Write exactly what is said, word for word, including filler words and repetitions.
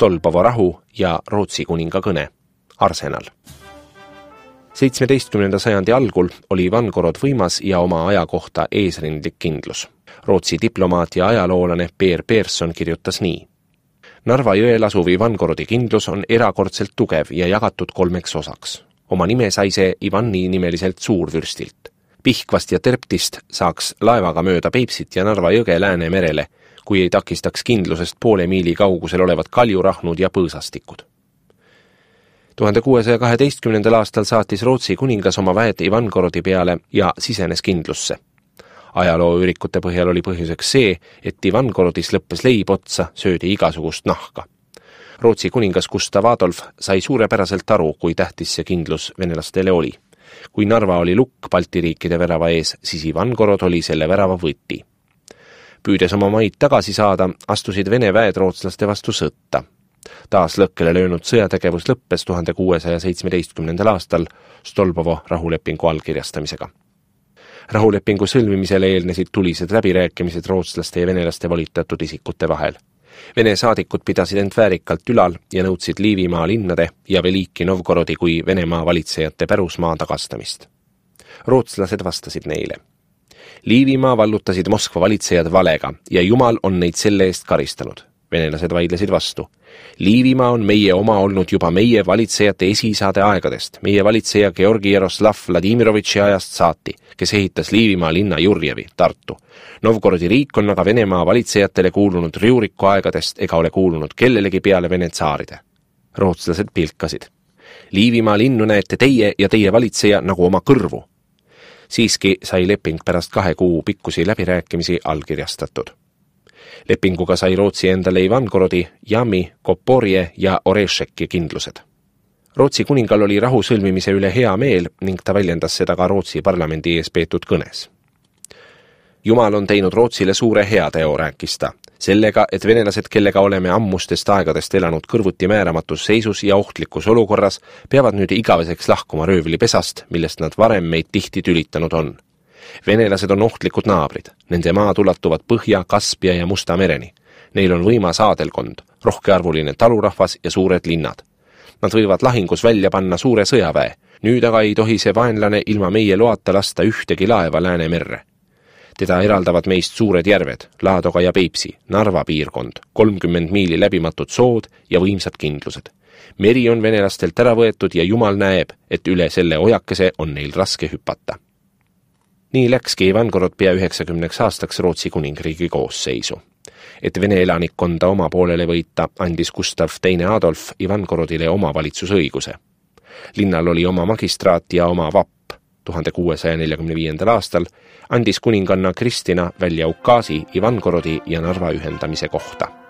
Stolbovo rahu ja Rootsi kuninga kõne, Arsenal. seitsmeteistkümnenda sajandi algul oli Ivangorod võimas ja oma aja kohta eesrindlik kindlus. Rootsi diplomaat ja ajaloolane Peer Persson kirjutas nii. Narva jõel asuv Ivangorodi kindlus on erakordselt tugev ja jagatud kolmeks osaks. Oma nime sai see Ivani nimeliselt suurvürstilt. Pihkvast ja Terptist saaks laevaga mööda Peipsit ja Narva jõge Läänemerele, kui ei takistaks kindlusest poole miili kaugusel olevad kaljurahnud ja põõsastikud. tuhande kuuesaja kaheteistkümnendal aastal saatis Rootsi kuningas oma väed Ivangorodi peale ja sisenes kindlusse. Ajalooürikute põhjal oli põhjuseks see, et Ivangorodis lõppes leib otsa, söödi igasugust nahka. Rootsi kuningas Gustav Adolf sai suurepäraselt aru, kui tähtis see kindlus venelastele oli. Kui Narva oli lukk Balti riikide värava ees, siis Ivangorod oli selle värava võti. Püüdes oma maid tagasi saada, astusid Vene väed rootslaste vastu sõtta. Taas lõkkele löönud sõjategevus lõppes tuhande kuuesaja seitsmeteistkümnendal aastal Stolbovo rahulepingu allkirjastamisega. Rahulepingu sõlmimisele eelnesid tulised läbirääkimised rootslaste ja venelaste volitatud isikute vahel. Vene saadikud pidasid end väärikalt ülal ja nõudsid Liivimaa linnade ja Veliki Novgorodi kui Venemaa valitsejate pärusmaa tagastamist. Rootslased vastasid neile. Liivimaa vallutasid Moskva valitsejad valega ja Jumal on neid selle eest karistanud. Venelased vaidlesid vastu. Liivimaa on meie oma olnud juba meie valitsejate esiisade aegadest, meie valitseja Georgi Jaroslav Vladimirovitši ajast saati, kes ehitas Liivimaa linna Jurjevi, Tartu. Novgorodi riik on aga Venemaa valitsejatele kuulunud Riuriku aegadest ega ole kuulunud kellelegi peale Vene tsaaride. Rootslased pilkasid. Liivimaa linnu näete teie ja teie valitseja nagu oma kõrvu. Siiski sai leping pärast kahe kuu pikkusi läbirääkimisi allkirjastatud. Lepinguga sai Rootsi endale Ivangorodi, Jami, Koporje ja Orešeki kindlused. Rootsi kuningal oli rahu sõlmimise üle hea meel ning ta väljendas seda ka Rootsi parlamendi ees peetud kõnes. Jumal on teinud Rootsile suure heateo, rääkis ta, sellega, et venelased, kellega oleme ammustest aegadest elanud kõrvuti määramatus seisus ja ohtlikus olukorras, peavad nüüd igaveseks lahkuma röövlipesast, millest nad varem meid tihti tülitanud on. Venelased on ohtlikud naabrid, nende maad ulatuvad Põhja, Kaspia ja Musta mereni. Neil on võimas aadelkond, rohkearvuline talurahvas ja suured linnad. Nad võivad lahingus välja panna suure sõjaväe, nüüd aga ei tohi see vaenlane ilma meie loata lasta ühtegi laeva Läänemerre. Teda eraldavad meist suured järved, Laadoga ja Peipsi, Narva piirkond, kolmkümmend miili läbimatud sood ja võimsad kindlused. Meri on venelastelt ära võetud ja Jumal näeb, et üle selle ojakese on neil raske hüpata. Nii läkski Ivangorod pea üheksakümneks aastaks Rootsi kuningriigi koosseisu. Et Vene elanikkonda oma poolele võita, andis Gustav teine Adolf Ivangorodile oma valitsusõiguse. Linnal oli oma magistraat ja oma vapp. tuhande kuuesaja neljakümne viiendal aastal andis kuninganna Kristina välja ukaasi Ivangorodi ja Narva ühendamise kohta.